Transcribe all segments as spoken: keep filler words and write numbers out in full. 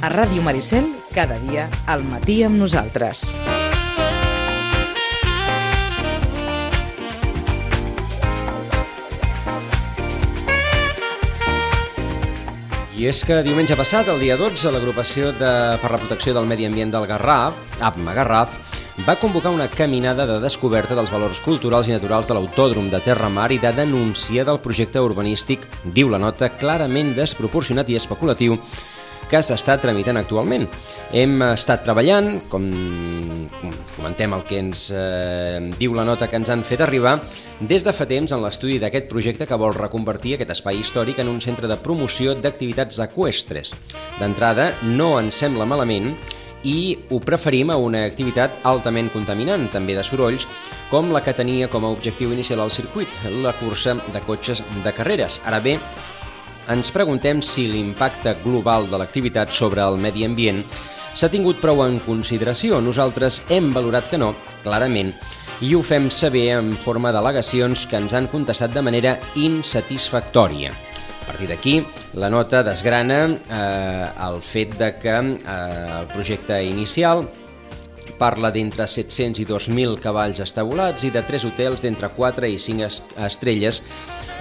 A Ràdio Maricel, cada dia, al matí amb nosaltres. I és que diumenge passat, el dia dotze, l'agrupació de, per la protecció del medi ambient del Garraf, A P M A Garraf, va convocar una caminada de descoberta dels valors culturals i naturals de l'Autòdrom de Terramar i de denúncia del projecte urbanístic, diu la nota, clarament desproporcionat i especulatiu que s'està tramitant actualment. Hem estat treballant, com comentem el que ens eh, diu la nota que ens han fet arribar, des de fa temps en l'estudi d'aquest projecte que vol reconvertir aquest espai històric en un centre de promoció d'activitats eqüestres. D'entrada, no ens sembla malament i ho preferim a una activitat altament contaminant, també de sorolls, com la que tenia com a objectiu inicial el circuit, la cursa de cotxes de carreres. Ara bé, ens preguntem si l'impacte global de l'activitat sobre el medi ambient s'ha tingut prou en consideració. Nosaltres hem valorat que no, clarament, i ho fem saber en forma d'al·legacions que ens han contestat de manera insatisfactòria. A partir d'aquí, la nota desgrana eh, el fet de que eh, el projecte inicial parla d'entre set-cents i dos mil cavalls estabolats i de tres hotels d'entre quatre i cinc estrelles,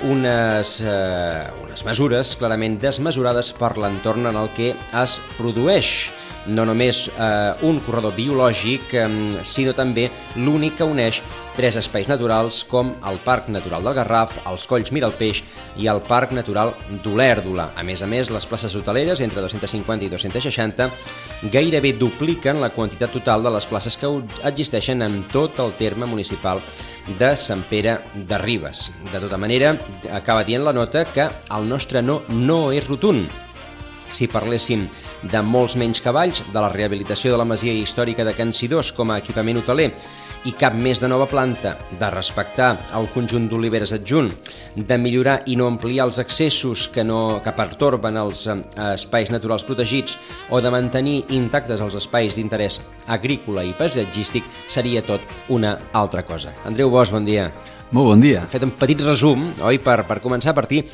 unes, eh, unes mesures clarament desmesurades per l'entorn en el que es produeix no només eh, un corredor biològic, eh, sinó també l'únic que uneix tres espais naturals com el Parc Natural del Garraf, els Colls Miralpeix i el Parc Natural d'Olèrdola. A més a més, les places hoteleres, entre dos-cents cinquanta i dos-cents seixanta, gairebé dupliquen la quantitat total de les places que existeixen en tot el terme municipal de Sant Pere de Ribes. De tota manera, acaba dient la nota que el nostre no no és rotund. Si parléssim de molts menys cavalls, de la rehabilitació de la masia històrica de Can Sidós com a equipament hoteler i cap més de nova planta, de respectar el conjunt d'oliveres adjunt, de millorar i no ampliar els accessos que, no, que pertorben els eh, espais naturals protegits o de mantenir intactes els espais d'interès agrícola i paisatgístic, seria tot una altra cosa. Andreu Bosch, bon dia. Molt bon dia. Hem fet un petit resum, oi, per, per començar a partir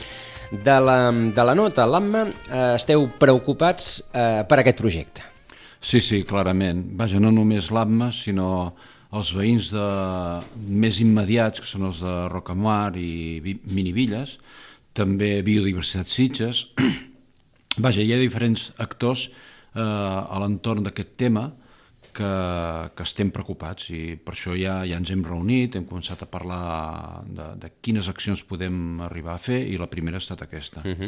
de la, de la nota. L'A M A, eh, esteu preocupats eh, per aquest projecte? Sí, sí, clarament. Vaja, no només l'A M A, sinó els veïns de, més immediats, que són els de Rocamar i Minivilles, també Biodiversitat Sitges. Vaja, hi ha diferents actors eh, a l'entorn d'aquest tema que, que estem preocupats i per això ja, ja ens hem reunit, hem començat a parlar de, de quines accions podem arribar a fer i la primera ha estat aquesta. Uh-huh.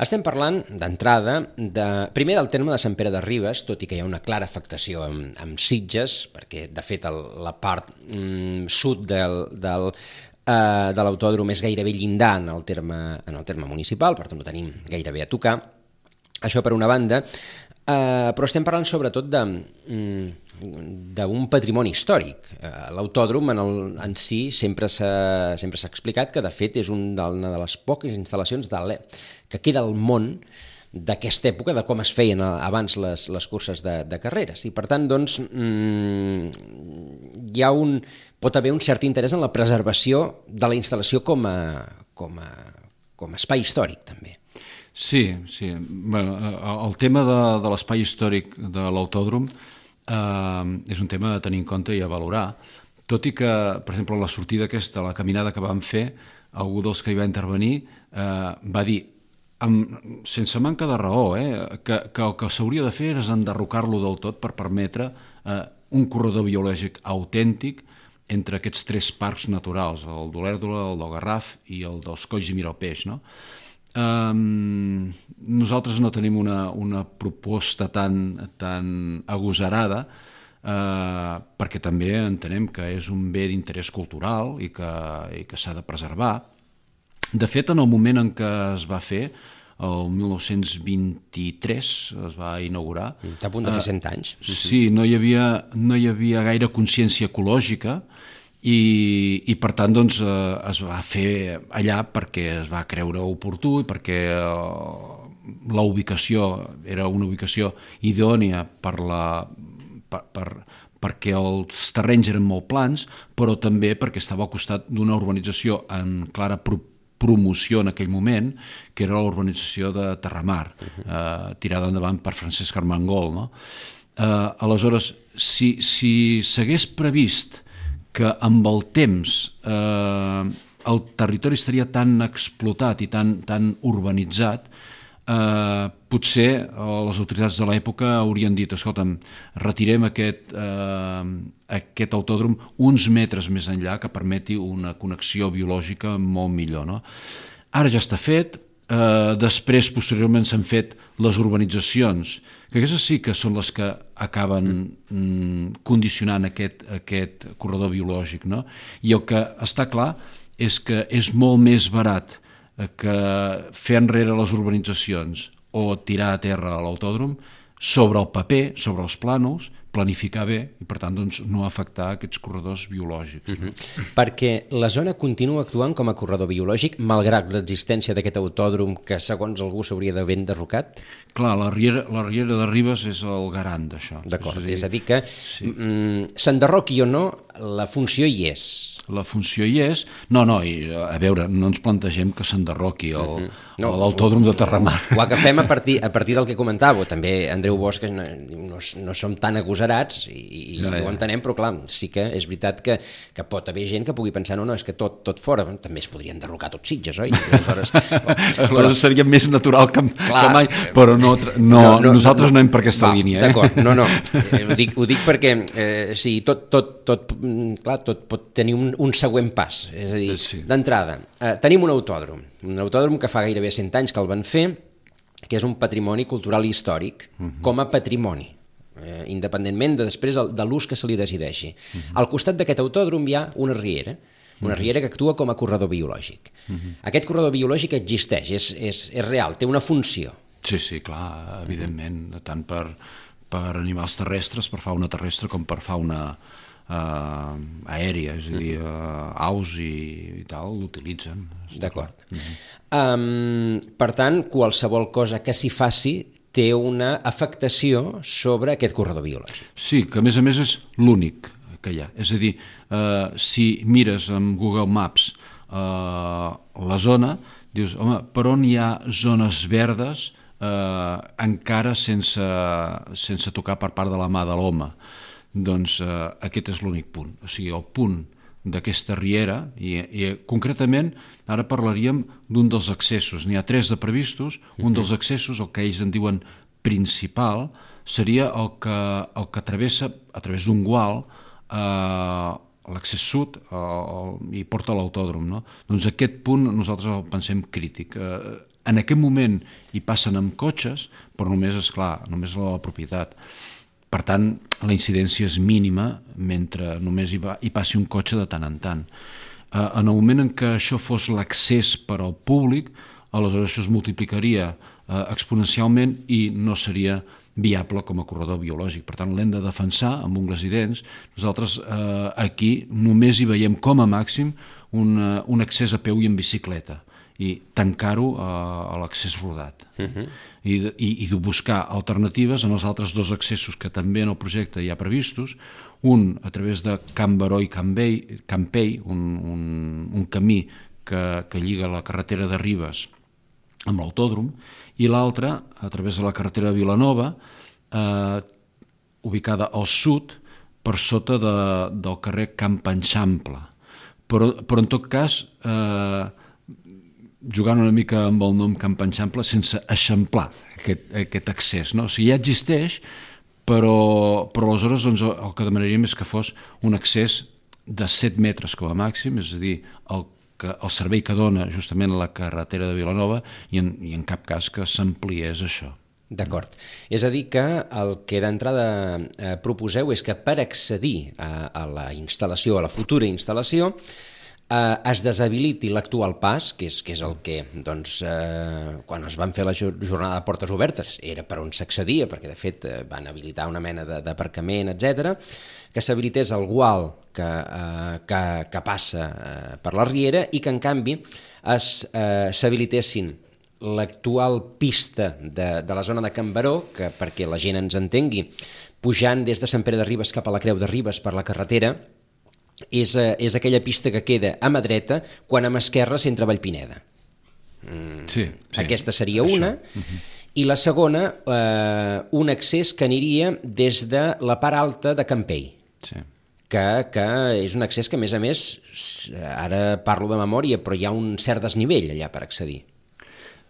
Estem parlant d'entrada de, primer del terme de Sant Pere de Ribes, tot i que hi ha una clara afectació amb, amb Sitges, perquè de fet el, la part mm, sud del, del, uh, de l'autòdrom és gairebé llindar en el, terme, en el terme municipal, per tant ho tenim gairebé a tocar. Això per una banda, Uh, però estem parlant sobretot d'un patrimoni històric. Uh, L'autòdrom en, el, en si sempre s'ha sempre s'ha explicat que de fet és un de, una de les poques instal·lacions de que queda al món d'aquesta època, de com es feien abans les, les curses de, de carreres. I per tant, doncs, mm, hi ha un, pot haver un cert interès en la preservació de la instal·lació com a, com a, com a espai històric, també. Sí, sí. Bueno, el tema de, de l'espai històric de l'autòdrom eh, és un tema a tenir en compte i a valorar, tot i que, per exemple, la sortida aquesta, la caminada que vam fer, algú dels que hi va intervenir eh, va dir, amb, sense manca de raó, eh, que, que el que s'hauria de fer és enderrocar-lo del tot per permetre eh, un corredor biològic autèntic entre aquests tres parcs naturals, el d'Olèrdola, el del Garraf i el dels Colls i Miralpeix, no? Um, nosaltres no tenim una, una proposta tan, tan agosarada uh, perquè també entenem que és un bé d'interès cultural i que, i que s'ha de preservar. De fet, en el moment en què es va fer, el mil nou-cents vint-i-tres es va inaugurar. Està a punt de fer cent anys. Uh, sí, no hi havia, no hi havia gaire consciència ecològica i, i per tant doncs, eh, es va fer allà perquè es va creure oportú i perquè eh, la ubicació era una ubicació idònia per la, per, per, perquè els terrenys eren molt plans, però també perquè estava al costat d'una urbanització en clara pro promoció en aquell moment, que era la urbanització de Terramar, eh, tirada endavant per Francesc Armengol, no? Eh, aleshores, si, si s'hagués previst que amb el temps eh, el territori estaria tan explotat i tan, tan urbanitzat, eh, potser les autoritats de l'època haurien dit, escolta'm, retirem aquest, eh, aquest autòdrom uns metres més enllà que permeti una connexió biològica molt millor, no? Ara ja està fet, eh, després, posteriorment, s'han fet les urbanitzacions, que aquestes sí que són les que acaben mm, condicionant aquest, aquest corredor biològic, no? I el que està clar és que és molt més barat que fer enrere les urbanitzacions o tirar a terra l'autòdrom sobre el paper, sobre els plànols, planificar bé i, per tant, doncs, no afectar aquests corredors biològics. Uh-huh. Perquè la zona continua actuant com a corredor biològic, malgrat l'existència d'aquest autòdrom que, segons algú, s'hauria d'haver enderrocat? Clar, la riera, la riera de Ribes és el garant d'això. D'acord, és a dir, és a dir que sí. mm, s'enderroqui o no, la funció hi és. La funció hi és. No, no, i, a veure, no ens plantegem que s'enderroqui el, uh-huh. no, l'autòdrom de Terramar. Ho agafem a partir, a partir del que comentàveu. També Andreu Bosch no, no, no som tan agosarats i, i ja, ja. ho entenem, però clar, sí que és veritat que, que pot haver gent que pugui pensar no, no, és que tot, tot fora, també es podrien derrocar tots Sitges, oi? Aleshores, però seria més natural que, clar, que mai, però no, no, no, no nosaltres no, no anem per aquesta va, línia. Eh? D'acord, no, no, eh, ho, dic, ho dic perquè eh, sí, tot, tot, tot, clar, tot pot tenir un, un següent pas, és a dir, sí. d'entrada, eh, tenim un autòdrom, un autòdrom que fa gairebé cent anys que el van fer, que és un patrimoni cultural i històric, uh-huh. com a patrimoni, eh, independentment de després el, de l'ús que se li decideixi. Uh-huh. Al costat d'aquest autòdrom hi ha una riera, una uh-huh. riera que actua com a corredor biològic. Uh-huh. Aquest corredor biològic existeix, és, és, és real, té una funció. Sí, sí, clar, evidentment, uh-huh. tant per, per animals terrestres, per fauna terrestre, com per fauna Uh, aèria, és a dir, uh, aus i, i tal, l'utilitzen. D'acord. Uh-huh. Um, per tant, qualsevol cosa que s'hi faci té una afectació sobre aquest corredor biològic. Sí, que a més a més és l'únic que hi ha. És a dir, uh, si mires amb Google Maps uh, la zona, dius, home, per on hi ha zones verdes uh, encara sense, sense tocar per part de la mà de l'home? Doncs eh, aquest és l'únic punt, o sigui, el punt d'aquesta riera, i, i concretament ara parlaríem d'un dels accessos, n'hi ha tres de previstos, uh-huh. un dels accessos, el que ells en diuen principal, seria el que, el que travessa a través d'un gual eh, l'accés sud eh, i porta a l'autòdrom, no? Doncs aquest punt nosaltres el pensem crític. Eh, en aquest moment hi passen amb cotxes, però només, és clar, només la propietat. Per tant, la incidència és mínima mentre només hi, va, hi passi un cotxe de tant en tant. Eh, en el moment en què això fos l'accés per al públic, aleshores això es multiplicaria eh, exponencialment i no seria viable com a corredor biològic. Per tant, l'hem de defensar amb ungles i dents. Nosaltres eh, aquí només hi veiem com a màxim un, un accés a peu i en bicicleta, i tancar-ho a l'accés rodat. Uh-huh. I, i, i de buscar alternatives en els altres dos accessos que també en el projecte hi ha previstos, un a través de Can Baró i Campell, Campell un, un, un camí que, que lliga la carretera de Ribes amb l'autòdrom, i l'altre a través de la carretera de Vilanova, eh, ubicada al sud, per sota de, del carrer Camp Eixample. Però, però en tot cas, eh, jugant una mica amb el nom Camp Eixample sense eixamplar aquest, aquest accés, no? O sigui, ja existeix, però, però aleshores doncs, el que demanaríem és que fos un accés de set metres com a màxim, és a dir, el, que, el servei que dona justament la carretera de Vilanova, i en, i en cap cas que s'ampliés això. D'acord. És a dir que el que d'entrada eh, proposeu és que per accedir a, a la instal·lació, a la futura instal·lació, eh, es deshabiliti l'actual pas, que és, que és el que, doncs, eh, quan es van fer la jornada de portes obertes, era per on s'accedia, perquè de fet eh, van habilitar una mena d'aparcament, etcètera, que s'habilités el gual que, eh, que, que passa eh, per la riera i que, en canvi, s'habilitessin eh, l'actual pista de, de la zona de Can Baró, que perquè la gent ens entengui, pujant des de Sant Pere de Ribes cap a la Creu de Ribes per la carretera, és, és aquella pista que queda a mà dreta quan a mà esquerra s'entra a Vallpineda. Mm, sí, sí. Aquesta seria una. Uh-huh. I la segona, eh, un accés que aniria des de la part alta de Campell. Sí. Que, que és un accés que, a més a més, ara parlo de memòria, però hi ha un cert desnivell allà per accedir.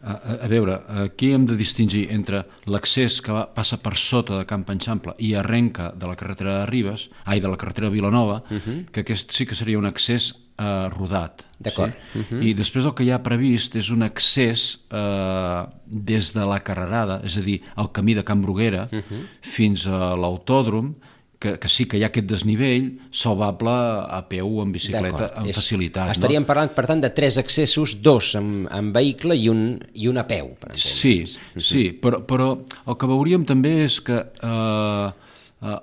A, a, a veure, aquí hem de distingir entre l'accés que va, passa per sota de Camp Eixample i arrenca de la carretera de Ribes, ai, de la carretera de Vilanova, uh-huh. que aquest sí que seria un accés eh, rodat. D'acord. Sí? Uh-huh. I després el que hi ha previst és un accés eh, des de la Carrerada, és a dir, el camí de Can Bruguera, uh-huh. fins a l'autòdrom, que, que sí que hi ha aquest desnivell salvable a peu, en bicicleta, amb facilitat. Estaríem no? parlant, per tant, de tres accessos, dos amb, amb vehicle i un, i un a peu. Per sí, uh-huh. sí, però, però el que veuríem també és que eh, eh,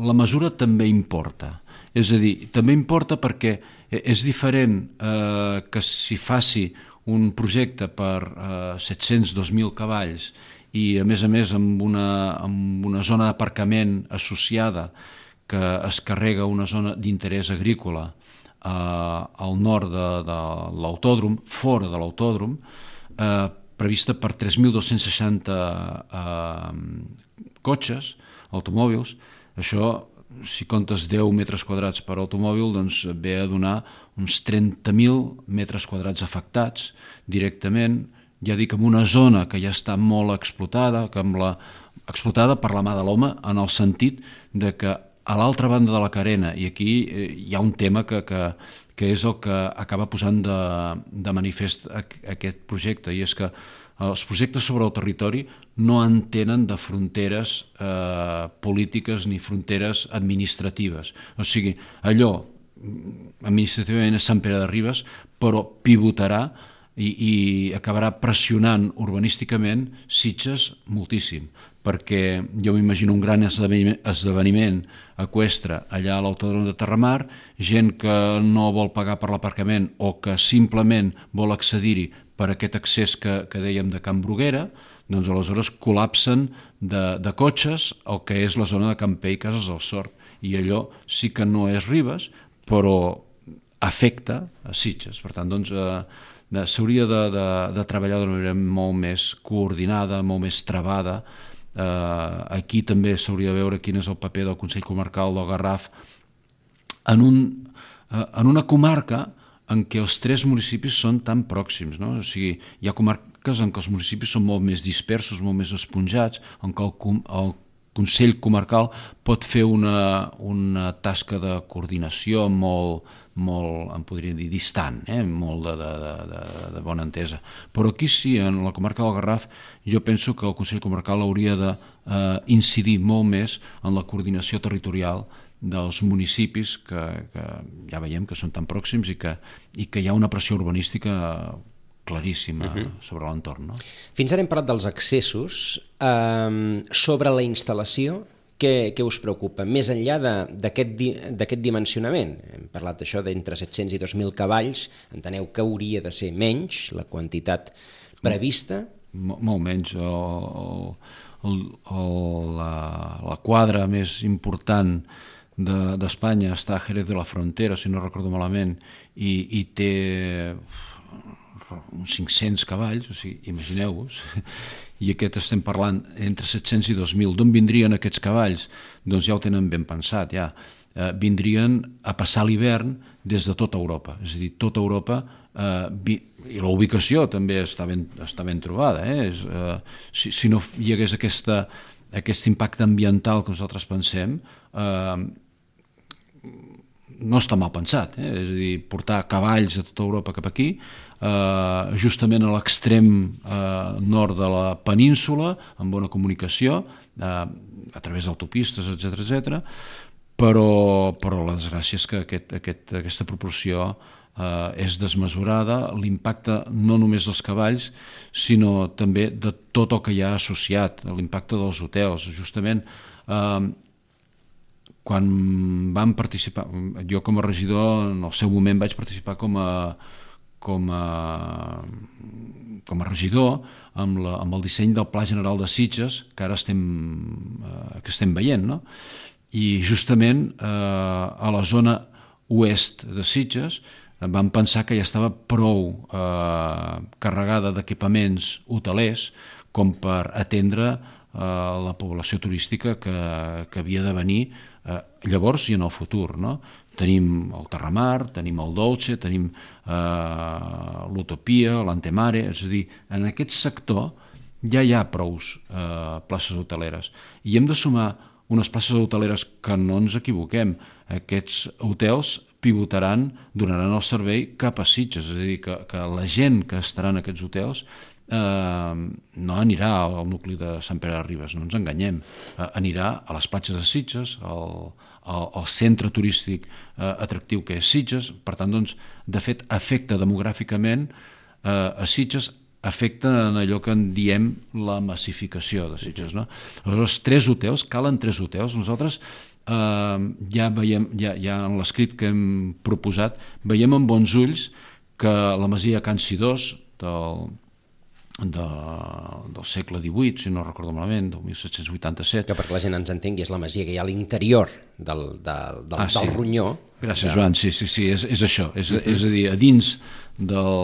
la mesura també importa. És a dir, també importa perquè és diferent eh, que si faci un projecte per eh, set-cents dos mil cavalls i a més a més amb una, amb una zona d'aparcament associada que es carrega una zona d'interès agrícola eh, al nord de, de l'autòdrom, fora de l'autòdrom, eh, prevista per tres mil dos-cents seixanta eh, cotxes, automòbils. Això, si comptes deu metres quadrats per automòbil, doncs ve a donar uns trenta mil metres quadrats afectats directament, ja dic, en una zona que ja està molt explotada, que amb la, explotada per la mà de l'home, en el sentit de que a l'altra banda de la carena, i aquí eh, hi ha un tema que, que, que és el que acaba posant de, de manifest aquest projecte, i és que els projectes sobre el territori no entenen de fronteres eh, polítiques ni fronteres administratives. O sigui, allò administrativament és Sant Pere de Ribes, però pivotarà I, i acabarà pressionant urbanísticament Sitges moltíssim, perquè jo m'imagino un gran esdeveniment, esdeveniment eqüestre allà a l'Autòdrom de Terramar, gent que no vol pagar per l'aparcament o que simplement vol accedir-hi per aquest accés que, que dèiem de Can Bruguera, doncs aleshores col·lapsen de, de cotxes el que és la zona de Campell, Cases del Sort, i allò sí que no és Ribes, però afecta a Sitges. Per tant, doncs, eh, s'hauria de, de, de treballar d'una manera molt més coordinada, molt més trebada. Eh, aquí també s'hauria de veure quin és el paper del Consell Comarcal del Garraf en, un, eh, en una comarca en què els tres municipis són tan pròxims, no? O sigui, hi ha comarques en què els municipis són molt més dispersos, molt més esponjats, en què el, el Consell Comarcal pot fer una, una tasca de coordinació molt, molt, em podria dir, distant, eh? molt de, de, de, de bona entesa. Però aquí sí, en la comarca del Garraf, jo penso que el Consell Comarcal hauria d'incidir eh, molt més en la coordinació territorial dels municipis que, que ja veiem que són tan pròxims i que, i que hi ha una pressió urbanística claríssima uh-huh. sobre l'entorn. No? Fins ara hem parlat dels accessos. Eh, sobre la instal·lació, què, què us preocupa? Més enllà d'aquest di, dimensionament, hem parlat d'això d'entre set-cents i dos mil cavalls, enteneu que hauria de ser menys la quantitat prevista? Mol, molt menys. El, el, el, la, la quadra més important d'Espanya de, està a Jerez de la Frontera, si no recordo malament, i, i té uns cinc-cents cavalls, o sigui, imagineu-vos, i aquest estem parlant entre set-cents i dos mil. D'on vindrien aquests cavalls? Doncs ja ho tenen ben pensat, ja. Eh, vindrien a passar l'hivern des de tota Europa, és a dir, tota Europa, eh, vi... i la ubicació també està ben, està ben trobada, eh? És, eh, si, si no hi hagués aquesta, aquest impacte ambiental que nosaltres pensem, eh, no està mal pensat, eh? És a dir, portar cavalls de tota Europa cap aquí, eh, justament a l'extrem eh, nord de la península, amb bona comunicació, eh, a través d'autopistes, etcètera, etcètera, però, però la desgràcia és que aquest, aquest, aquesta proporció eh, és desmesurada, l'impacte no només dels cavalls, sinó també de tot el que hi ha associat, l'impacte dels hotels. Justament, eh, quan vam participar, jo com a regidor en el seu moment vaig participar com a, com a, com a regidor amb, la, amb el disseny del Pla General de Sitges que ara estem, eh, que estem veient, no? I justament eh, a la zona oest de Sitges vam pensar que ja estava prou eh, carregada d'equipaments hotelers com per atendre eh, la població turística que, que havia de venir eh, llavors i en el futur, no? Tenim el Terramar, tenim el Dolce, tenim eh, l'Utopia, l'Antemare, és a dir, en aquest sector ja hi ha prous eh, places hoteleres i hem de sumar unes places hoteleres que no ens equivoquem. Aquests hotels pivotaran, donaran el servei cap a Sitges, és a dir, que, que la gent que estarà en aquests hotels eh, no anirà al nucli de Sant Pere de Ribes, no ens enganyem, eh, anirà a les platges de Sitges, al, al, al centre turístic eh, atractiu que és Sitges, per tant, doncs, de fet, afecta demogràficament eh, a Sitges, afecta en allò que en diem la massificació de Sitges, no? Aleshores, tres hotels, calen tres hotels. Nosaltres eh, ja veiem, ja, ja en l'escrit que hem proposat, veiem amb bons ulls que la masia Can Sidós del, de, del segle divuit, si no recordo malament, del mil set-cents vuitanta-set. Que perquè la gent ens entengui, és la masia que hi ha a l'interior del, del, del, ah, sí. del Ronyó. Gràcies, de... Joan, sí, sí, sí, és, és això, és, uh-huh. és a dir, a dins del,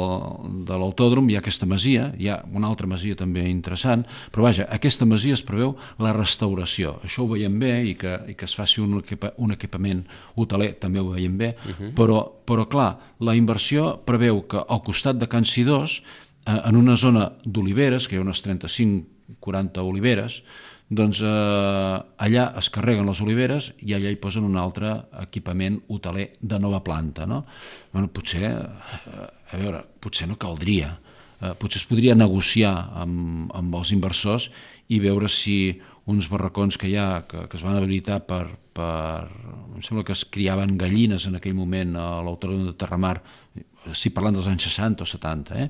de l'autòdrom hi ha aquesta masia, hi ha una altra masia també interessant, però vaja, aquesta masia es preveu la restauració, això ho veiem bé i que, i que es faci un, equipa, un equipament hoteler també ho veiem bé, uh-huh. però, però clar, la inversió preveu que al costat de Can Sidós, eh, en una zona d'oliveres, que hi ha unes trenta-cinc quaranta oliveres, doncs eh, allà es carreguen les oliveres i allà hi posen un altre equipament hoteler de nova planta, no? Bueno, potser, eh, a veure, potser no caldria, eh, potser es podria negociar amb, amb els inversors i veure si uns barracons que hi ha, que, que es van habilitar per, per... em sembla que es criaven gallines en aquell moment a l'autòdrom de Terramar, si parlant dels anys seixanta o setanta, eh?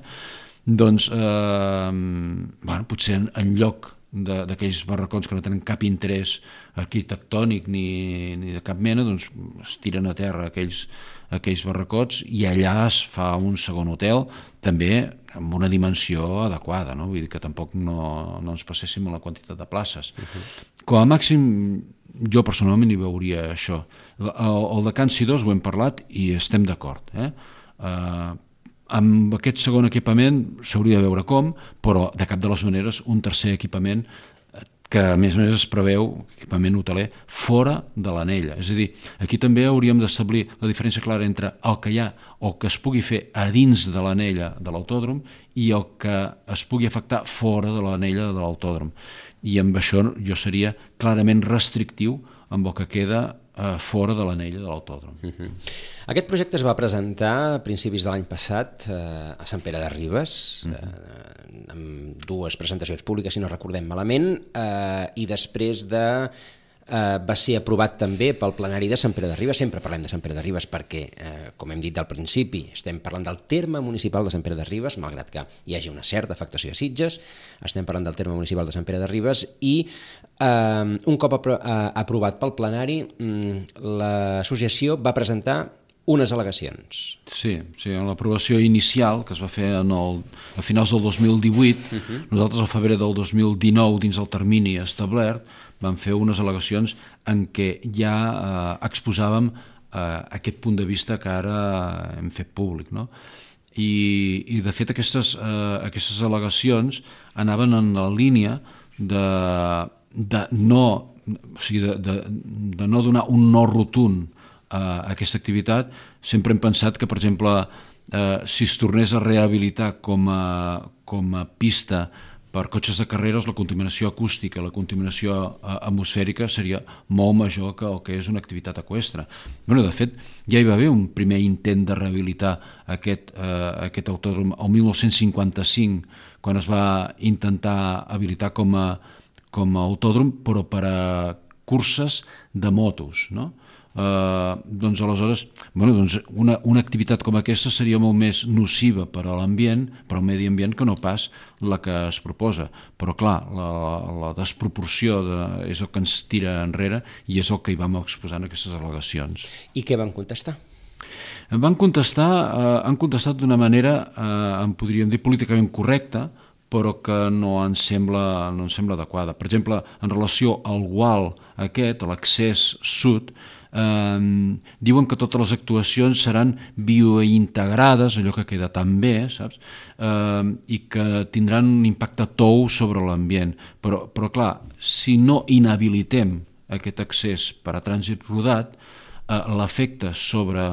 Doncs, eh, bueno, potser en, en lloc d'aquells barracons que no tenen cap interès arquitectònic ni, ni de cap mena, doncs es tiren a terra aquells, aquells barracots i allà es fa un segon hotel, també amb una dimensió adequada, no? Vull dir que tampoc no, no ens passéssim a la quantitat de places. Uh-huh. Com a màxim, jo personalment hi veuria això. El, el de Can Sidós ho hem parlat i estem d'acord, eh? Uh, amb aquest segon equipament s'hauria de veure com, però de cap de les maneres un tercer equipament que a més a més es preveu, equipament hoteler, fora de l'anella. És a dir, aquí també hauríem d'establir la diferència clara entre el que hi ha o que es pugui fer a dins de l'anella de l'autòdrom i el que es pugui afectar fora de l'anella de l'autòdrom. I amb això jo seria clarament restrictiu amb el que queda eh, fora de l'anella de l'autòdrom. Uh-huh. Aquest projecte es va presentar a principis de l'any passat eh, a Sant Pere de Ribes, uh-huh. eh, amb dues presentacions públiques, si no recordem malament, eh, i després de... Uh, va ser aprovat també pel plenari de Sant Pere de Ribes. Sempre parlem de Sant Pere de Ribes perquè, uh, com hem dit al principi, estem parlant del terme municipal de Sant Pere de Ribes, malgrat que hi hagi una certa afectació a Sitges, estem parlant del terme municipal de Sant Pere de Ribes i uh, un cop apro- uh, aprovat pel plenari, um, l'associació va presentar unes al·legacions. Sí, sí, en l'aprovació inicial, que es va fer en el, a finals del dos mil divuit, uh-huh. nosaltres al febrer del dos mil dinou, dins el termini establert, vam fer unes al·legacions en què ja eh, exposàvem eh, aquest punt de vista que ara hem fet públic, no? I, i de fet aquestes, eh, aquestes al·legacions anaven en la línia de, de, no, o sigui, de, de, de no donar un no rotund a aquesta activitat. Sempre hem pensat que, per exemple, eh, si es tornés a rehabilitar com a, com a pista per cotxes de carreres, la contaminació acústica, la contaminació atmosfèrica seria molt major que el que és una activitat eqüestre. Bueno, de fet, ja hi va haver un primer intent de rehabilitar aquest, eh, aquest autòdrom el dinou cinquanta-cinc, quan es va intentar habilitar com a, com a autòdrom, però per a curses de motos, no? Uh, doncs aleshores bueno, doncs una, una activitat com aquesta seria molt més nociva per a l'ambient, per al medi ambient, que no pas la que es proposa, però clar, la, la desproporció de, és el que ens tira enrere i és el que hi vam exposar en aquestes al·legacions. I què van contestar? Van contestar, eh, han contestat d'una manera, eh, en podríem dir, políticament correcta, però que no ens sembla, no ens sembla adequada. Per exemple, en relació al gual aquest, a l'accés sud, Eh, diuen que totes les actuacions seran biointegrades, allò que queda tan bé, saps? Eh, i que tindran un impacte tou sobre l'ambient. Però, però clar, si no inhabilitem aquest accés per a trànsit rodat, eh, l'efecte sobre,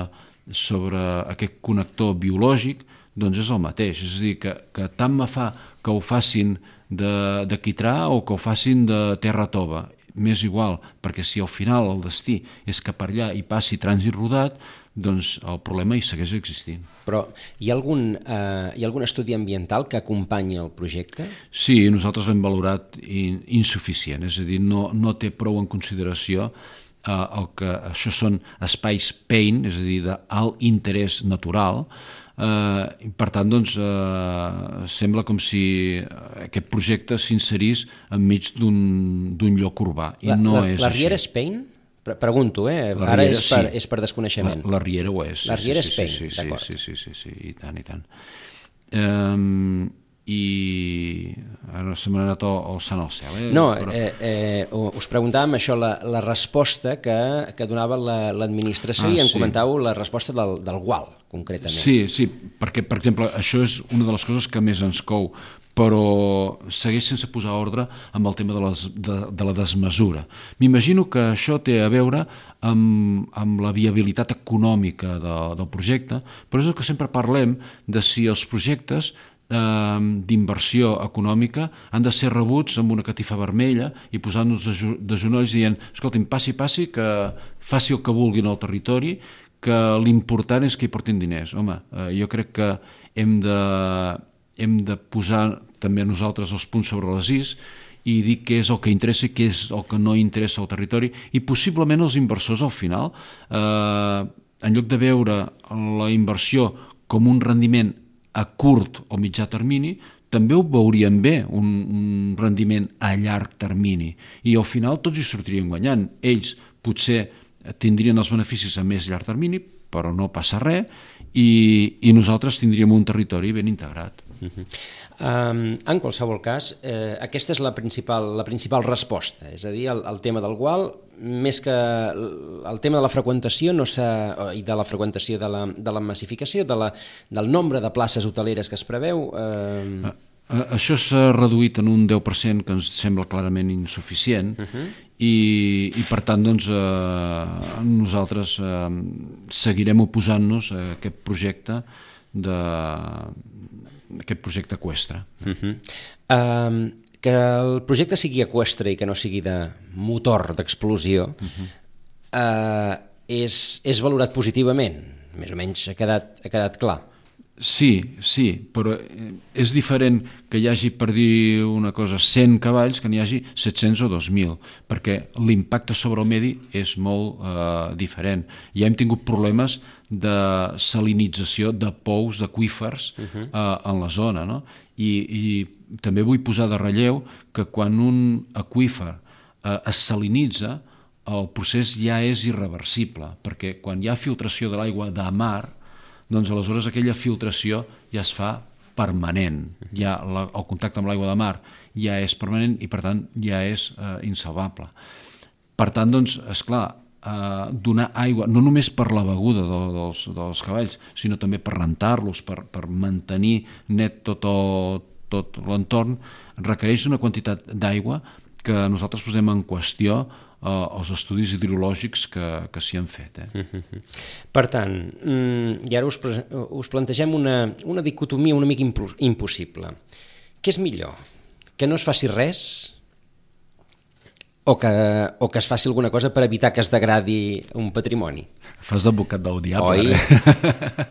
sobre aquest connector biològic doncs és el mateix. És a dir, que, que tant me fa que ho facin de, de quitrà o que ho facin de terra tova. M'és igual, perquè si al final el destí és que per allà hi passi trànsit rodat, doncs el problema hi segueix existint. Però hi ha algun, eh, hi ha algun estudi ambiental que acompanyi el projecte? Sí, nosaltres l'hem valorat in, insuficient, és a dir, no, no té prou en consideració eh, el que això són espais P E I N, és a dir, d'alt interès natural. Uh, per tant, doncs, uh, sembla com si aquest projecte s'inserís enmig d'un lloc urbà, i la, no la, és la així. Riera és P E I N? Pregunto, eh? La Ara Riera, és per, sí. és per desconeixement. La, la Riera ho és. La Riera sí, és P E I N, sí, sí, d'acord. Sí, sí, sí, sí, i tant, i tant. Um, I ara se m'ha anat el, el sant al cel. Eh? No, Però... eh, eh, us preguntàvem això, la, la resposta que, que donava l'administració, la, i ah, en sí. comentàveu la resposta del, del gual, concretament. Sí, sí, perquè, per exemple, això és una de les coses que més ens cou, però segueix sense posar ordre amb el tema de, les, de, de la desmesura. M'imagino que això té a veure amb, amb la viabilitat econòmica de, del projecte, però és el que sempre parlem de si els projectes eh, d'inversió econòmica han de ser rebuts amb una catifa vermella i posant-nos de, de genolls dient, escolti'm, passi, passi, que faci el que vulguin al territori, que l'important és que hi portin diners. Home, eh, jo crec que hem de, hem de posar també nosaltres els punts sobre les is i dir què és el que interessa i què és el que no interessa al territori, i possiblement els inversors al final, eh, en lloc de veure la inversió com un rendiment a curt o mitjà termini, també ho veurien bé, un, un rendiment a llarg termini, i al final tots hi sortirien guanyant. Ells potser tindrien els beneficis a més llarg termini, però no passa res, i, i nosaltres tindríem un territori ben integrat. Uh-huh. um, en qualsevol cas, eh, aquesta és la principal, la principal resposta, és a dir, el, el tema del gual, més que el tema de la freqüentació no i de la freqüentació de la, de la massificació, de la, del nombre de places hoteleres que es preveu... Eh... Això s'ha reduït en un deu per cent, que ens sembla clarament insuficient, uh-huh. i, i per tant doncs, eh, nosaltres eh, seguirem oposant-nos a aquest projecte de, aquest projecte eqüestre. Uh-huh. Um, que el projecte sigui eqüestre i que no sigui de motor d'explosió, uh-huh. uh, és, és valorat positivament, més o menys ha quedat, ha quedat clar. Sí, sí, però és diferent que hi hagi, per dir una cosa, cent cavalls que n'hi hagi set-cents o dos mil, perquè l'impacte sobre el medi és molt eh, diferent. Ja hem tingut problemes de salinització de pous, d'aqüífers uh-huh. eh, en la zona, no? I, i també vull posar de relleu que quan un aqüífer eh, es salinitza, el procés ja és irreversible, perquè quan hi ha filtració de l'aigua de mar, doncs aleshores aquella filtració ja es fa permanent, ja la, el contacte amb l'aigua de mar ja és permanent i per tant ja és eh, insalvable. Per tant, doncs, esclar, eh, donar aigua, no només per la beguda de, dels, dels cavalls, sinó també per rentar-los, per, per mantenir net tot, el, tot l'entorn, requereix una quantitat d'aigua que nosaltres posem en qüestió eh, els estudis hidrològics que, que s'hi han fet. Eh? Per tant, i ara us, us plantegem una, una dicotomia una mica impossible. Què és millor? Que no es faci res o que, o que es faci alguna cosa per evitar que es degradi un patrimoni? Fas d'advocat del diable. Oi? Eh?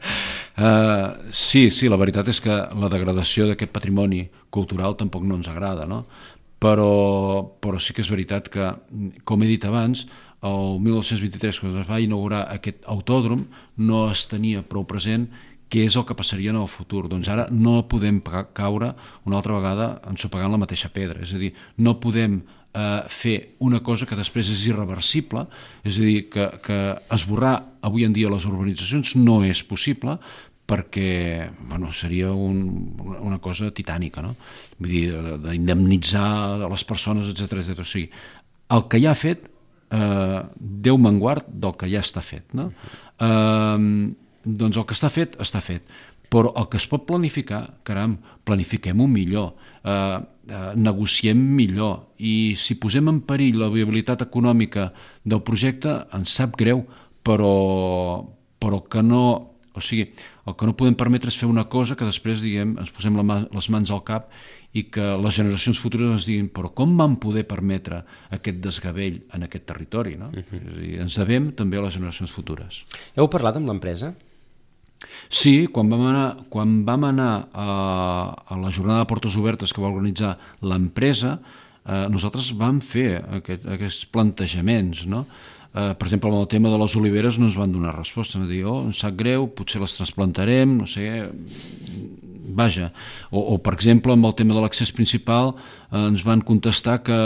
uh, sí, sí, la veritat és que la degradació d'aquest patrimoni cultural tampoc no ens agrada, no? Però, però sí que és veritat que, com he dit abans, el mil nou-cents vint-i-tres, quan es va inaugurar aquest autòdrom, no es tenia prou present què és el que passaria en el futur. Doncs ara no podem caure una altra vegada ensopegant la mateixa pedra. És a dir, no podem eh, fer una cosa que després és irreversible, és a dir, que, que esborrar avui en dia les urbanitzacions no és possible, perquè bueno, seria un, una cosa titànica, no? Vull dir, d'indemnitzar les persones, etcètera, etcètera. O sigui, el que ja ha fet, eh, Déu me'n guard del que ja està fet, no? Eh, doncs el que està fet, està fet. Però el que es pot planificar, caram, planifiquem-ho millor, eh, eh, negociem millor, i si posem en perill la viabilitat econòmica del projecte, ens sap greu, però, però que no... O sigui, el que no podem permetre és fer una cosa que després, diguem, ens posem la mà, les mans al cap i que les generacions futures ens diguin però com van poder permetre aquest desgavell en aquest territori, no? Uh-huh. És a dir, ens devem també a les generacions futures. Heu parlat amb l'empresa? Sí, quan vam anar, quan vam anar a, a la jornada de portes obertes que va organitzar l'empresa, eh, nosaltres vam fer aquest, aquests plantejaments, no? Uh, per exemple, amb el tema de les oliveres no ens van donar resposta, van dir, oh, em sap greu, potser les trasplantarem, no sé, vaja. O, o per exemple, amb el tema de l'accés principal uh, ens van contestar que,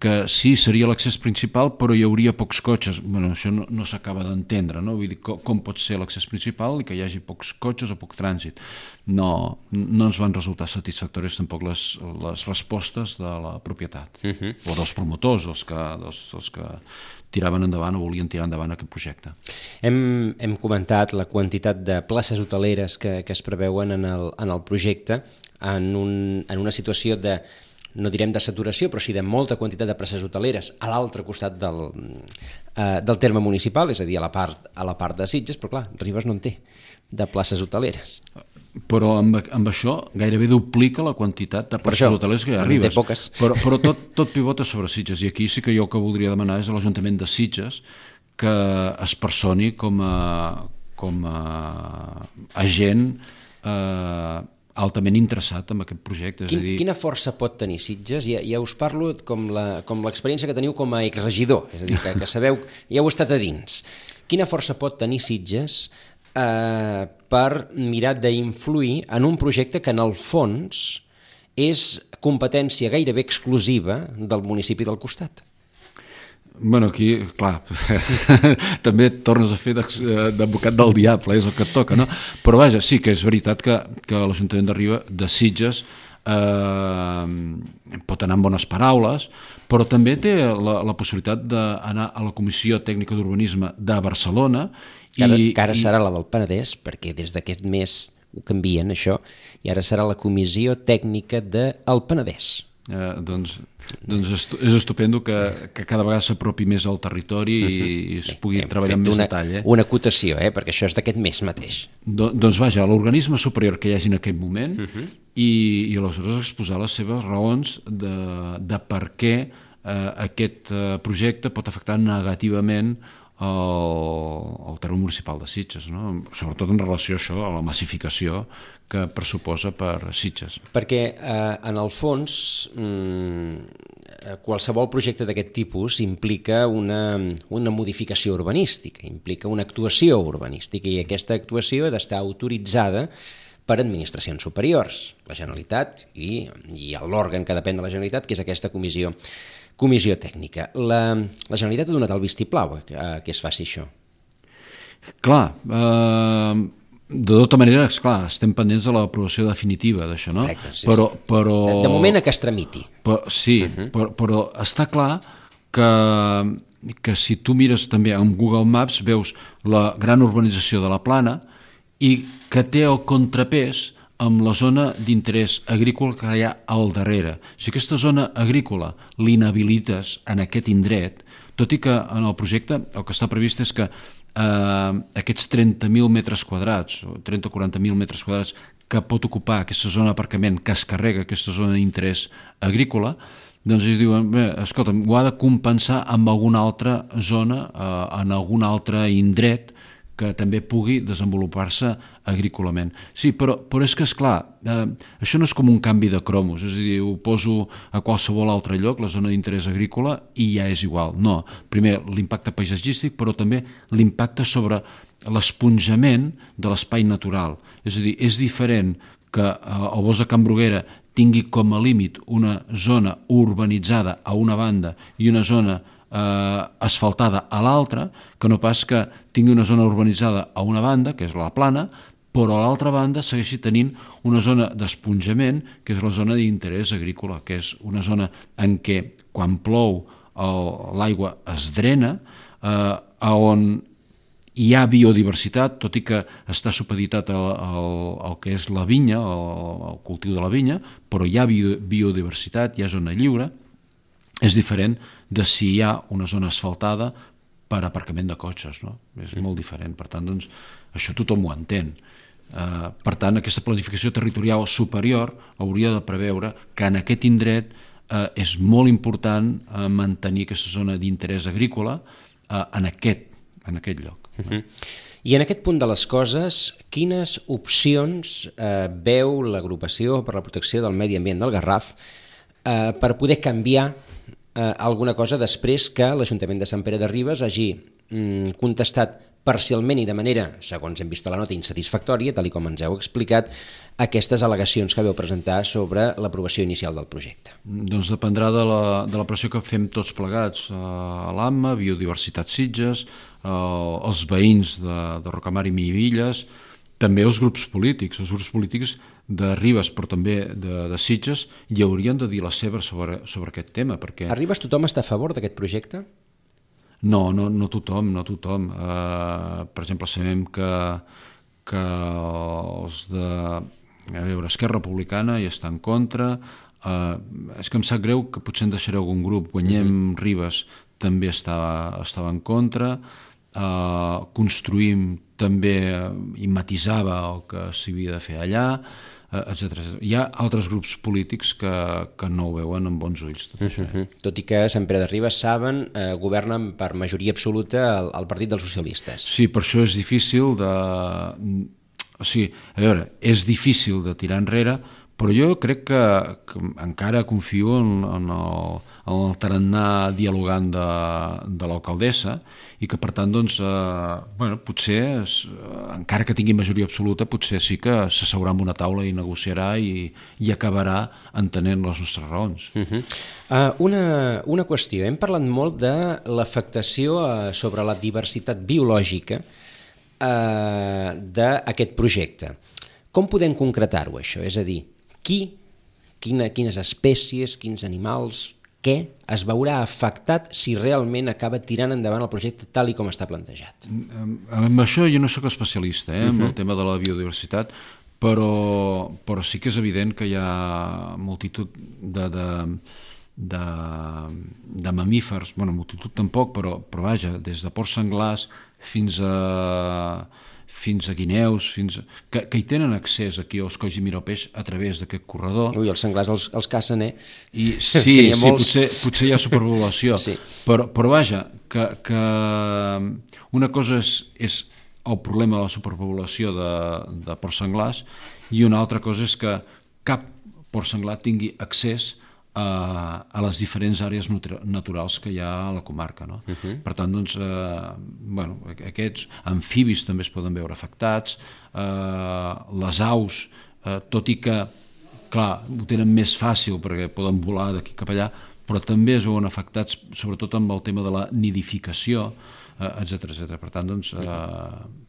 que sí, seria l'accés principal, però hi hauria pocs cotxes. Bueno, això no, no s'acaba d'entendre, no? Vull dir, com, com pot ser l'accés principal i que hi hagi pocs cotxes o poc trànsit? No, no ens van resultar satisfactòries tampoc les, les respostes de la propietat, uh-huh. o dels promotors, dels que... Dels, dels que tiraven endavant o volien tirar endavant aquest projecte. Hem, hem comentat la quantitat de places hoteleres que, que es preveuen en el, en el projecte en, un, en una situació de, no direm de saturació, però sí de molta quantitat de places hoteleres a l'altre costat del, eh, del terme municipal, és a dir, a la part, a la part de Sitges, però clar, Ribes no en té de places hoteleres. Però amb, amb això gairebé duplica la quantitat de places hoteleres que hi ha a Ribes. Però, però tot, tot pivota sobre Sitges, i aquí sí que jo el que voldria demanar és a l'Ajuntament de Sitges que es personi com a, com a agent eh, altament interessat en aquest projecte. És Quin, a dir... Quina força pot tenir Sitges? Ja, ja us parlo com la, com l'experiència que teniu com a exregidor, és a dir, que, que sabeu, ja heu estat a dins. Quina força pot tenir Sitges Eh, per mirar d'influir en un projecte que en el fons és competència gairebé exclusiva del municipi del costat? Bueno, aquí, clar, també tornes a fer d'advocat del diable, és el que et toca, no? Però vaja, sí que és veritat que, que l'Ajuntament de Ribes, de Sitges, eh, pot anar amb bones paraules, però també té la, la possibilitat d'anar a la Comissió Tècnica d'Urbanisme de Barcelona. Que ara, que ara serà la del Penedès, perquè des d'aquest mes ho canvien, això, i ara serà la Comissió Tècnica del Penedès. Eh, doncs doncs és estupendo que, que cada vegada s'apropi més al territori uh-huh. i es pugui Hem treballar amb més una, detall. Eh? Una acotació, eh? Perquè això és d'aquest mes mateix. Do, doncs vaja, l'organisme superior que hi hagi en aquell moment uh-huh. i, i aleshores exposar les seves raons de, de per què eh, aquest eh, projecte pot afectar negativament al, al terme municipal de Sitges, no? Sobretot en relació a això, a la massificació que pressuposa per Sitges. Perquè eh, en el fons mmm, qualsevol projecte d'aquest tipus implica una, una modificació urbanística, implica una actuació urbanística, i aquesta actuació ha d'estar autoritzada per administracions superiors, la Generalitat i, i l'òrgan que depèn de la Generalitat, que és aquesta comissió Comissió tècnica. La, la Generalitat ha donat el vistiplau a, a que es faci això. Clar, eh, de tota manera, esclar, estem pendents de l'aprovació definitiva d'això, no? Correcte, sí, però, sí. Però, de, de moment a que es tramiti. Però, sí, uh-huh. però, però està clar que, que si tu mires també en Google Maps veus la gran urbanització de la Plana i que té el contrapès amb la zona d'interès agrícola que hi ha al darrere. Si aquesta zona agrícola l'inhabilites en aquest indret, tot i que en el projecte el que està previst és que eh, aquests trenta mil metres quadrats, o trenta o quaranta mil metres quadrats que pot ocupar aquesta zona d'aparcament, que es carrega aquesta zona d'interès agrícola, doncs ells diuen, bé, escolta'm, ho ha de compensar amb alguna altra zona, eh, en algun altre indret, que també pugui desenvolupar-se agrícolament. Sí, però, però és que, esclar, eh, això no és com un canvi de cromos, és a dir, ho poso a qualsevol altre lloc, la zona d'interès agrícola, i ja és igual. No, primer l'impacte paisatgístic, però també l'impacte sobre l'esponjament de l'espai natural. És a dir, és diferent que eh, el bosc de Can Bruguera tingui com a límit una zona urbanitzada a una banda i una zona Eh, asfaltada a l'altra, que no pas que tingui una zona urbanitzada a una banda, que és la Plana, però a l'altra banda segueixi tenint una zona d'esponjament, que és la zona d'interès agrícola, que és una zona en què quan plou l'aigua es drena, eh, on hi ha biodiversitat, tot i que està supeditat al, al, al que és la vinya, al, al cultiu de la vinya, però hi ha bio, biodiversitat, hi ha zona lliure. És diferent de si hi ha una zona asfaltada per aparcament de cotxes, no? És mm. molt diferent. Per tant, doncs, això tothom ho entén. Uh, per tant, aquesta planificació territorial superior hauria de preveure que en aquest indret uh, és molt important uh, mantenir aquesta zona d'interès agrícola uh, en, aquest, en aquest lloc. Uh-huh. I en aquest punt de les coses, quines opcions eh, veu l'Agrupació per la Protecció del Medi Ambient del Garraf eh, per poder canviar eh, alguna cosa després que l'Ajuntament de Sant Pere de Ribes hagi mm, contestat parcialment i de manera, segons hem vist a la nota, insatisfactòria, tal i com ens heu explicat, aquestes al·legacions que vau presentar sobre l'aprovació inicial del projecte? Doncs dependrà de la, de la pressió que fem tots plegats, a l'A M A, Biodiversitat Sitges, els veïns de, de Rocamar i Minivilles, també els grups polítics, els grups polítics de Ribes, però també de, de Sitges, hi haurien de dir la seva sobre, sobre aquest tema. Perquè... A Ribes tothom està a favor d'aquest projecte? No, no, no tothom, no tothom. Uh, per exemple, sabem que, que els de a veure, Esquerra Republicana hi està en contra. Uh, és que em sap greu que potser en deixaré algun grup. Guanyem mm-hmm. Ribes també estava, estava en contra. Uh, construïm també i matisava el que s'havia de fer allà, uh, etcètera. Hi ha altres grups polítics que, que no ho veuen amb bons ulls. Tot, això. Uh-huh. Tot i que Sant Pere de Ribes, saben, eh, governen per majoria absoluta el, el Partit dels Socialistes. Sí, per això és difícil de... O sigui, a veure, és difícil de tirar enrere, però jo crec que, que encara confio en, en, el, en el tarannà dialogant de, de l'alcaldessa i que, per tant, doncs, eh, bueno, potser, es, encara que tingui majoria absoluta, potser sí que s'asseurà en una taula i negociarà i, i acabarà entenent les nostres raons. Uh-huh. uh, una, una qüestió. Hem parlat molt de l'afectació uh, sobre la diversitat biològica uh, d'aquest projecte. Com podem concretar-ho, això? És a dir, qui, quina, quines espècies, quins animals, què es veurà afectat si realment acaba tirant endavant el projecte tal i com està plantejat? Amb això jo no sóc especialista, eh, amb uh-huh. el tema de la biodiversitat, però, però sí que és evident que hi ha multitud de, de, de, de mamífers, bueno, multitud tampoc, però, però vaja, des de porcs senglars fins a... fins a guineus, fins a... Que, que hi tenen accés aquí als Colls i Mirapeix a través d'aquest corredor. Ui, els senglars els, els cacen, eh? I, sí, sí molts... potser, potser hi ha superpoblació, sí. però, però vaja, que, que una cosa és, és el problema de la superpoblació de, de porcs senglars i una altra cosa és que cap porc senglar tingui accés a, a les diferents àrees naturals que hi ha a la comarca, no? Uh-huh. Per tant, doncs, eh, bueno, aquests amfibis també es poden veure afectats, eh, les aus, eh, tot i que, clar, ho tenen més fàcil perquè poden volar d'aquí cap allà, però també es veuen afectats sobretot amb el tema de la nidificació, eh, etcètera, etcètera. Per tant, doncs, eh,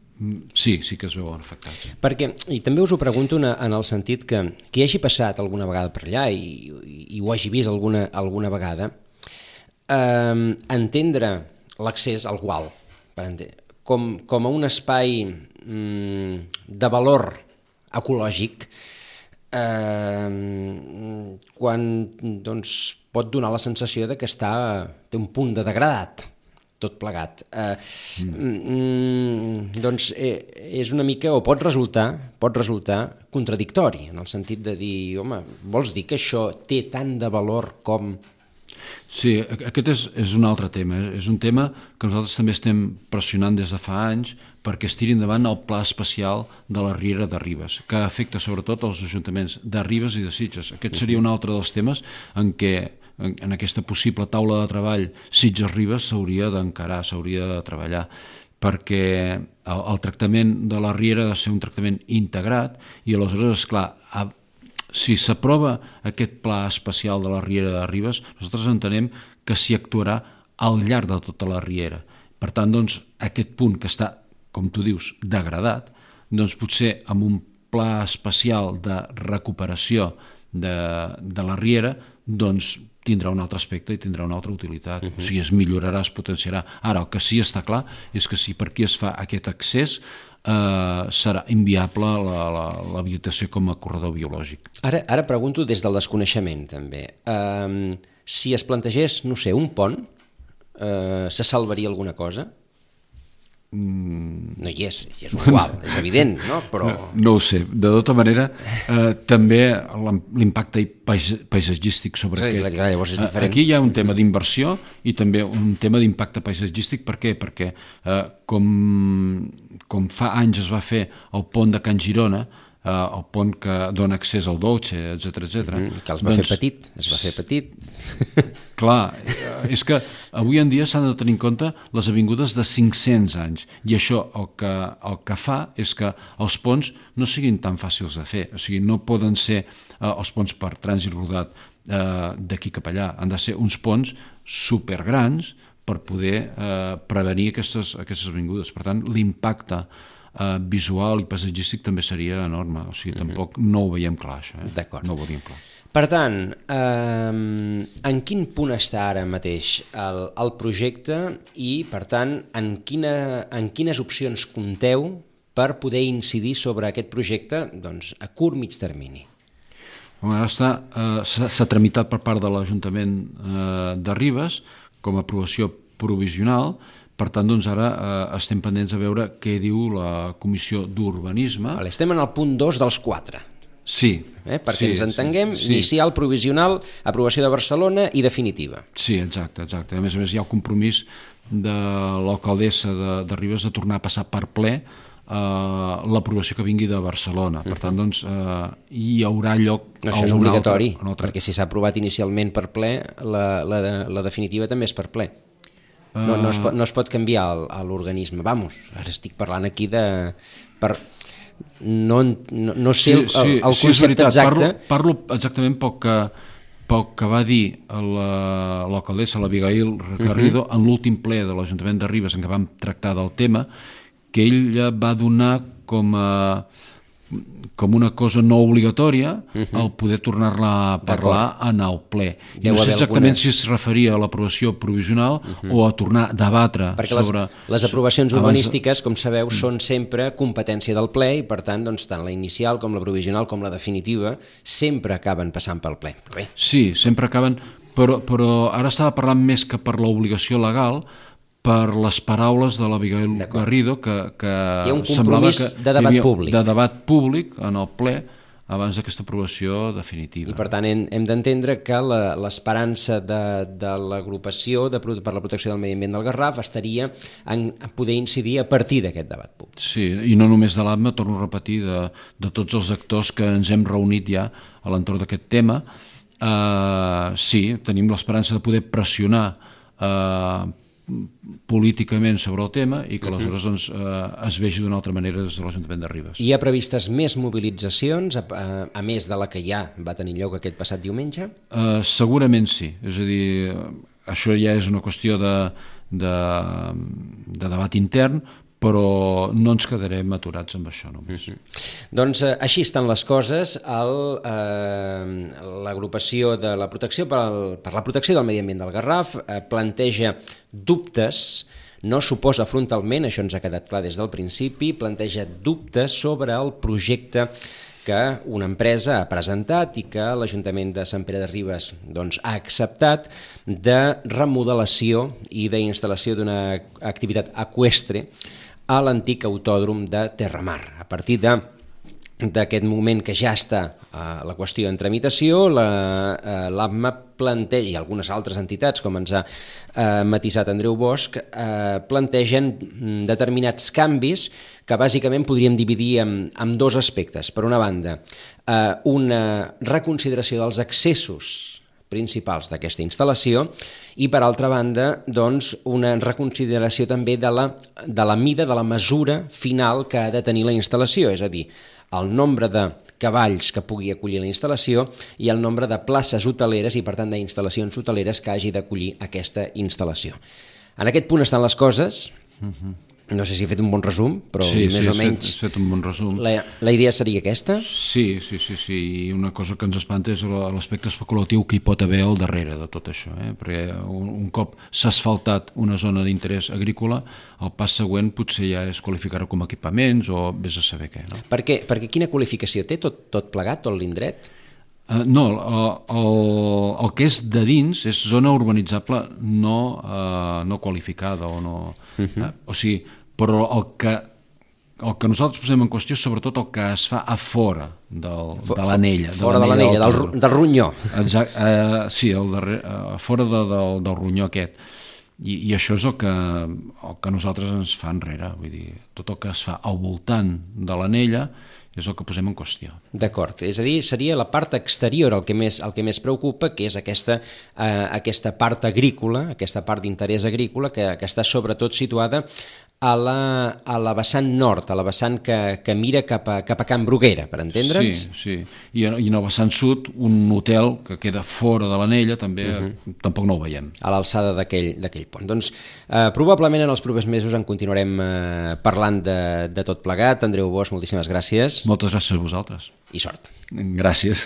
sí, sí que es veuen afectats. Perquè, i també us ho pregunto en, en el sentit que qui hagi passat alguna vegada per allà i, i, i ho hagi vist alguna, alguna vegada, eh, entendre l'accés al gual per entendre, com, com a un espai mm, de valor ecològic, eh, quan doncs, pot donar la sensació de que està, té un punt de degradat tot plegat. Eh, mm. Doncs eh, és una mica, o pot resultar, pot resultar contradictori, en el sentit de dir, home, vols dir que això té tant de valor com... Sí, aquest és, és un altre tema. És un tema que nosaltres també estem pressionant des de fa anys perquè es tiri endavant el pla especial de la Riera de Ribes, que afecta sobretot els ajuntaments de Ribes i de Sitges. Aquest seria un altre dels temes en què en aquesta possible taula de treball Sitges-Ribes s'hauria d'encarar, s'hauria de treballar, perquè el, el tractament de la Riera ha de ser un tractament integrat i aleshores, esclar, a, si s'aprova aquest pla especial de la Riera de Ribes, nosaltres entenem que s'hi actuarà al llarg de tota la Riera. Per tant, doncs, aquest punt que està, com tu dius, degradat, doncs potser amb un pla especial de recuperació de, de la riera, doncs tindrà un altre aspecte i tindrà una altra utilitat. Uh-huh. O sigui, es millorarà, es potenciarà. Ara, el que sí està clar és que si per aquí es fa aquest accés, eh, serà inviable la, la, l'habilitació com a corredor biològic. Ara, ara pregunto des del desconeixement, també. Um, si es plantegés, no sé, un pont, uh, se salvaria alguna cosa? No hi és, hi és igual, és evident, no? Però... No, no ho sé, de tota manera eh, també l'impacte paisatgístic sobre sí, aquest... Clar, llavors és diferent. Aquí hi ha un tema d'inversió i també un tema d'impacte paisatgístic. Per què? Perquè eh, com, com fa anys es va fer el pont de Can Girona, Uh, el pont que dona accés al Dolce, etcètera, etcètera. Mm, que els va doncs, fer petit, es va fer petit. Clar, és que avui en dia s'han de tenir en compte les avingudes de cinc-cents anys, i això el que, el que fa és que els ponts no siguin tan fàcils de fer, o sigui, no poden ser uh, els ponts per trànsit rodat uh, d'aquí cap allà, han de ser uns ponts supergrans per poder uh, prevenir aquestes, aquestes avingudes. Per tant, l'impacte Uh, visual i paisatgístic també seria enorme, o sigui, tampoc uh-huh. no ho veiem clar, això. Eh? D'acord. No ho veiem clar. Per tant, eh, en quin punt està ara mateix el, el projecte i, per tant, en, quina, en quines opcions compteu per poder incidir sobre aquest projecte doncs, a curt mig termini? Ara està, eh, s'ha, s'ha tramitat per part de l'Ajuntament eh, de Ribes com a aprovació provisional. Per tant, doncs ara eh, estem pendents de veure què diu la Comissió d'Urbanisme. Vale, estem en el punt dos dels quatre. Sí. Eh, perquè sí, ens entenguem, sí, sí. Inicial, provisional, aprovació de Barcelona i definitiva. Sí, exacte, exacte. A més a més, hi ha el compromís de l'alcaldessa de, de Ribes de tornar a passar per ple eh, l'aprovació que vingui de Barcelona. Per tant, doncs, eh, hi haurà lloc... No, això és obligatori, altre, altre... perquè si s'ha aprovat inicialment per ple, la, la, la definitiva també és per ple. No, no, es pot, no es pot canviar el, l'organisme. Vamos, ara estic parlant aquí de... Per, no, no, no sé el, el, el sí, concepte sí, exacte. Parlo, parlo exactament pel que, pel que va dir la, l'alcaldessa, l'Abigail Garrido, uh-huh. en l'últim ple de l'Ajuntament de Ribes en què vam tractar del tema, que ell va donar com a... com una cosa no obligatòria uh-huh. el poder tornar-la a parlar en el ple. I no sé exactament alguna... si es referia a l'aprovació provisional uh-huh. o a tornar a debatre perquè sobre... Les, les aprovacions urbanístiques, de... com sabeu, uh-huh. són sempre competència del ple i, per tant, doncs, tant la inicial com la provisional com la definitiva sempre acaben passant pel ple. Bé. Sí, sempre acaben... Però, però ara estava parlant més que per l'obligació legal, per les paraules de l'Abigail Garrido, que, que hi ha un compromís que de debat públic. De debat públic en el ple abans d'aquesta aprovació definitiva. I per tant hem, hem d'entendre que la, l'esperança de, de l'agrupació de, per la protecció del medi ambient del Garraf estaria en poder incidir a partir d'aquest debat públic. Sí, i no només de l'A D M A, torno a repetir, de, de tots els actors que ens hem reunit ja a l'entorn d'aquest tema. Uh, sí, tenim l'esperança de poder pressionar uh, políticament sobre el tema i que aleshores doncs, eh, es vegi d'una altra manera des de l'Ajuntament de Ribes. Hi ha previstes més mobilitzacions, a, a, a més de la que ja va tenir lloc aquest passat diumenge? Eh, segurament sí, és a dir, això ja és una qüestió de, de, de debat intern, però no ens quedarem aturats amb això només. Mm-hmm. Doncs eh, així estan les coses. El, eh, l'agrupació de la protecció per, al, per la protecció del medi ambient del Garraf eh, planteja dubtes, no s'oposa frontalment, això ens ha quedat clar des del principi, planteja dubtes sobre el projecte que una empresa ha presentat i que l'Ajuntament de Sant Pere de Ribes doncs, ha acceptat de remodelació i d'instal·lació d'una activitat eqüestre a l'antic autòdrom de Terramar. A partir de d'aquest moment que ja està eh, la qüestió en tramitació, la, eh, l'A D M A planteja, i algunes altres entitats, com ens ha eh, matisat Andreu Bosch, eh, plantegen determinats canvis que bàsicament podríem dividir en, en dos aspectes. Per una banda, eh, una reconsideració dels accessos principals d'aquesta instal·lació i, per altra banda, doncs, una reconsideració també de la, de la mida, de la mesura final que ha de tenir la instal·lació, és a dir, el nombre de cavalls que pugui acollir la instal·lació i el nombre de places hoteleres i, per tant, d'instal·lacions hoteleres que hagi d'acollir aquesta instal·lació. En aquest punt estan les coses. Uh-huh. No sé si he fet un bon resum, però sí, més sí, o menys... Sí, has fet un bon resum. La, la idea seria aquesta? Sí, sí, sí, sí. I una cosa que ens espanta és l'aspecte especulatiu que hi pot haver al darrere de tot això, eh? Perquè un, un cop s'ha asfaltat una zona d'interès agrícola, el pas següent potser ja és qualificar-ho com a equipaments o vés a saber què, no? Per què? Perquè quina qualificació té tot, tot plegat, tot l'indret? Uh, no, el, el, el que és de dins és zona urbanitzable no, uh, no qualificada o no... Uh-huh. uh, o sigui, però el que, el que nosaltres posem en qüestió és sobretot el que es fa a fora del, For, de l'anella. Fora de l'anella, del, del, del ronyó. Exacte, uh, sí, el darrer, uh, fora de, del, del ronyó aquest. I, i això és el que, el que nosaltres ens fa enrere. Vull dir, tot el que es fa al voltant de l'anella és el que posem en qüestió. D'acord, és a dir, seria la part exterior el que més, el que més preocupa, que és aquesta, eh, aquesta part agrícola, aquesta part d'interès agrícola, que, que està sobretot situada a la, a la vessant nord, a la vessant que, que mira cap a, cap a Can Bruguera, per entendre'ns? Sí, sí. I, i en el vessant sud, un hotel que queda fora de l'anella, també uh-huh. tampoc no ho veiem. A l'alçada d'aquell pont. Doncs eh, probablement en els propers mesos en continuarem eh, parlant de, de tot plegat. Andreu Bosch, moltíssimes gràcies. Moltes gràcies a vosaltres. I sort. Gràcies.